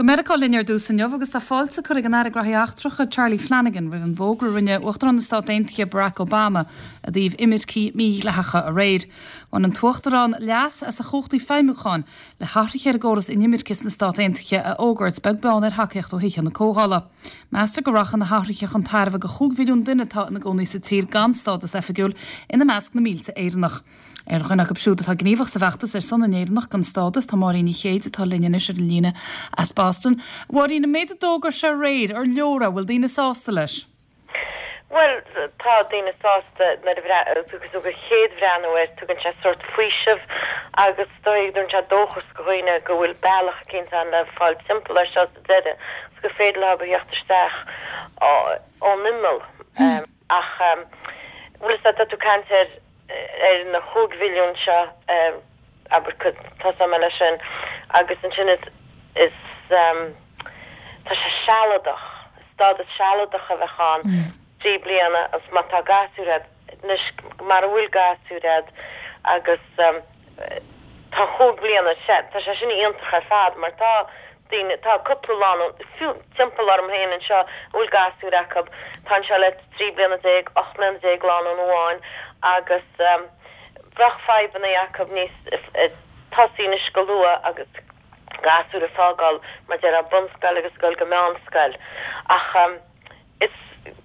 Go Meiriceá linn ar dtús inniu agus tá fáilte curtha ag an Aire Graithí Eachtracha Charlie Flanagan roimh an bhfógra a rinne Uachtarán na Stát Aontaithe Barack Obama i dtaobh imircigh mhídhleathacha aréir. Bhain an tUachtarán leas as a chumhachtaí feidhmiúcháin le hathruithe ar an gcóras inimirce sna Stát Aontaithe a fhógairt beag beann ar thacaíocht ó Thithe na Comhdhála. Meastar go rachaidh na hathruithe chun tairbhe do chúig mhilliún duine atá ina gcónaí sa tír gan stádas oifigiúil, ina measc na mílte Éireannach. Ar dhuine acu siúd atá gníomhach sa bhfeachtas ar son na nÉireannach gan stádas, tá Máirín Ní Chéide atá linn anois ar an líne as Boston. A Mháirín, an méid a d'fhógair sé aréir, ar leor é? Bhfuil daoine sásta leis? Bhuel, tá daoine sásta nuair a thugann tú do chéad bhreathnú air, tugann sé sórt faoiseamh agus is dóigh go dtugann sé dóchas do dhaoine go bhfuil bealach eicínt ann le fáil timpeall air seo sa deireadh agus gur féidir leo a theacht isteach ón imeall. Ach, bhfuil fhios agat, tá tú ag caint ar ar na chúig mhilliún seo, abair, tosóidh mé leis sin, agus ansin is, is, tá sé sealadach, stádas sealadach a bheadh ann, 3 bliana, agus má tá gasúir a'd, anois mara bhfuil gasúir a'd agus tá chúig bliana, sea, tá sé sin iontach ar fad mar tá daoine, tá cúpla lánúin, fiú timpeall orm féin anseo a bhfuil gasúir acu, tá anseo le 13 bliana, 18 mbliana lánúin amháin agus bheadh fadhbanna acu níos, tosaí anois go luath agus gasúir a fágáil mar déarfá bunscoil agus dul go meánscoil ach. Is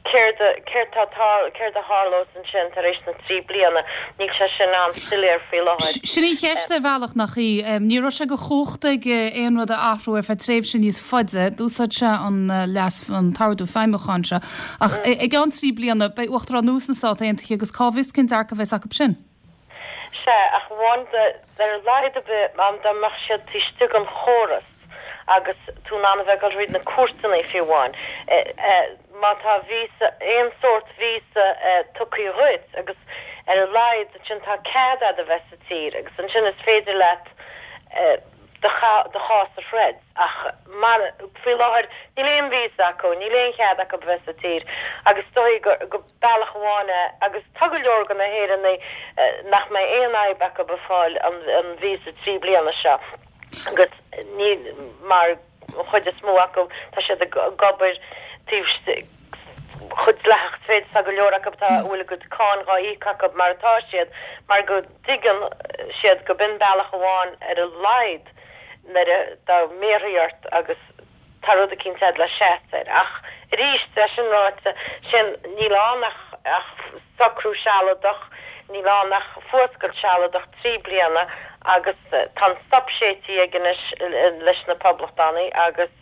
céard a, céard tá, tá, céard a tharlós ansin tar éis na dtrí bliana? Níl sé sin an-soiléir faoi láthair. Sin í an cheist ar bhealach, nach í? Ní raibh sé de chumhacht aige aon rud a athrú ar feadh tréimhse níos faide. D'úsáid sé an leas, an t-ordú feidhmiúcháin seo. Ach i gceann trí bliana, beidh Uachtarán nua sna Stáit Aontaithe agus cá bhfios cén dearcadh a bheas acu sin? Sea, ach amháin ar a laghad ar bith dá mbeadh siad taobh istigh den chóras agus tú in ann a bheith ag dul thríd na cúirteanna fiú amháin, má tá víosa, aon sórt víosa tugtha dhuit agus ar a laghad ansin tá cead agat a bheith sa tír agus ansin is féidir leat do chás a throid. Ach mar, faoi láthair níl aon víosa acu, níl aon chead acu a bheith sa tír agus is dóigh go. bealach amháin é, agus tá go leor de na hÉireannaigh nach mbeidh aon fhadhb acu ag fáil an víosa 3 bliana seo agus ní, mar an chuid is mó acu tá siad ag obair taobh istigh, chomh dleathach is féidir, tá go leor acu atá, a bhfuil a gcuid cáin dhá íoc acu mar atá siad, mar go dtuigeann siad go b'in bealach amháin ar a laghad nuair a, dá mbéarfaí ort agus. Tá rud eicínt a'd le seasamh air. Ach arís, é sin ráite, sin, níl ann ach, ach socrú sealadach, níl ann ach fuascailt sealadach 3 bliana agus tá an stop séidte aige anois leis na Poblachtánaigh agus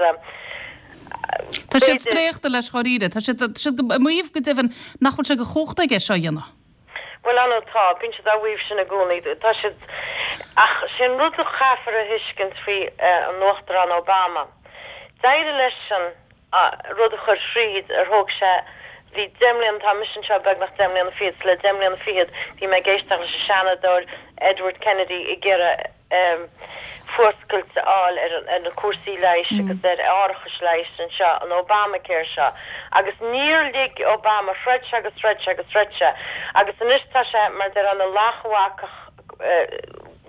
Tá siad b'fhéidir. spréachta leis dháiríre. Tá siad, tá siad ag maíomh go deimhin nach bhfuil sé de chumhacht aige seo a dhéanamh. Bhuel, ar ndóigh tá, bíonn siad á mhaíomh sin i gcónaí. Tá siad, ach sé an rud a chaithfear a thuiscint faoi an Uachtarán Obama, d'éirigh leisean rud a chur thríd ar thóg sé, bhí deich mbliana, tá mise anseo beagnach deich mbliana fichead, so le deich mbliana fichead bhí mé ag éisteacht leis an Seanadóir Edward Kennedy ag iarraidh fuascailt a fháil ar na cúrsaí leighis agus ar árachais leighis anseo, an Obamacare seo. Agus níor lig Obama, throid sé agus throid sé agus throid sé agus anois tá sé, mar a déarfá, ina lachbhacach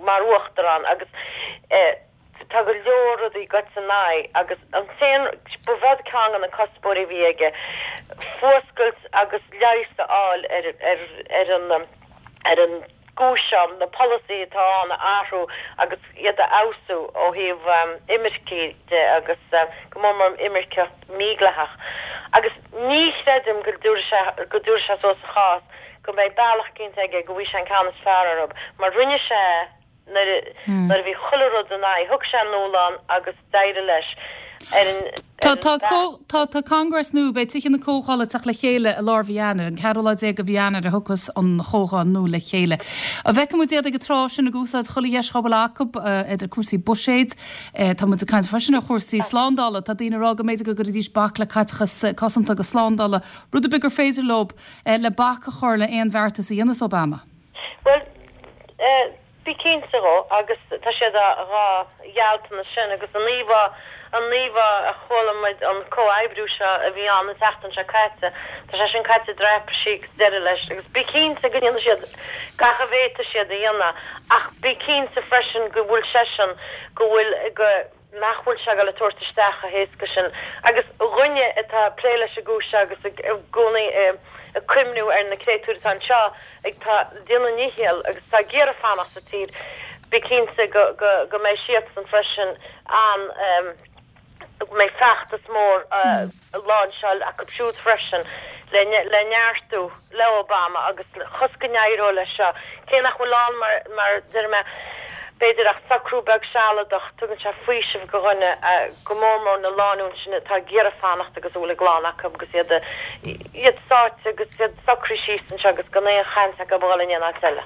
mar uachtarán agus tá go leor rudaí goite ina aghaidh agus an t-aon, ba b'in ceann de na cuspóirí a bhí aige, fuascailt agus leigheas a fháil ar ar an ar an gcúis seo, na polasaithe atá ann a athrú agus iad a fheabhsú ó thaobh imirce de agus go mór mór imirceacht mhídhleathach. Agus ní chreidim go dtabharfaidh sé, go dtabharfaidh sé suas a chás, go mbeidh bealach eicínt aige go bhfaighidh sé an ceann is fearr orthu, mar rinne sé é nuair a, nuair a bhí chuile rud ina aghaidh, thug sé an dúshlán agus d'éirigh leis ar an, Tá, tá, tá, tá Congress nua, beidh Tithe na Comhdhála ag teacht le chéile i lár mhí Eanáir, an ceathrú lá déag de mhí Eanáir a thiocfas an chomhdháil nua le chéile. An bhfeicfidh muid iad ag an tráth sin ag úsáid chuile dheis dhá bhfuil acu, idir cúrsaí buiséid, tá muid ag caint freisin ar chúrsaí slándála, tá daoine ag rá go mb'fhéidir go gcuirfidís bac le caiteachas cosanta agus slándála, rud ar bith gur féidir leo le bac a chur le aon bheartas a dhéanfas Obama. Bhuel, Bí cinnte dhó, agus tá siad dhá ghealltanas sin, agus an íomhá, an íomhá a chuala muid, an comhoibriú seo a bhí ann an tseachtain seo caite, tá sé sin caite i dtraipisí agus deireadh leis, agus bí cinnte go ndéanfaidh siad gach a bhféadfaidh siad a dhéanamh, ach bí cinnte freisin go bhfuil seisean, go bhfuil, go. nach bhfuil sé ag dul a tabhairt isteach chomh héasca sin. Agus dhuine atá ag plé leis an gcúis seo agus i gcónaí ag cuimhniú ar na créatúir atá anseo ag tá déanamh a ndícheall agus atá ag iarraidh fanacht sa tír, bí cinnte go go go mbeidh siadsan freisin an go mbeidh feachtas mór á láinseáil acu siúd freisin le neartú le Obama agus chos go n-éireoidh leis seo. Cé nach bhfuil ann mar mar deir mé b'fhéidir ach socrú beag sealadach, tugann sé faoiseamh go dhuine, go mór mór na lánúin sin atá ag iarraidh fanacht agus a bhfuil a gclann acu agus iad iad sáite agus iad socraithe síos anseo agus gan aon chaint acu a dhul in aon áit eile.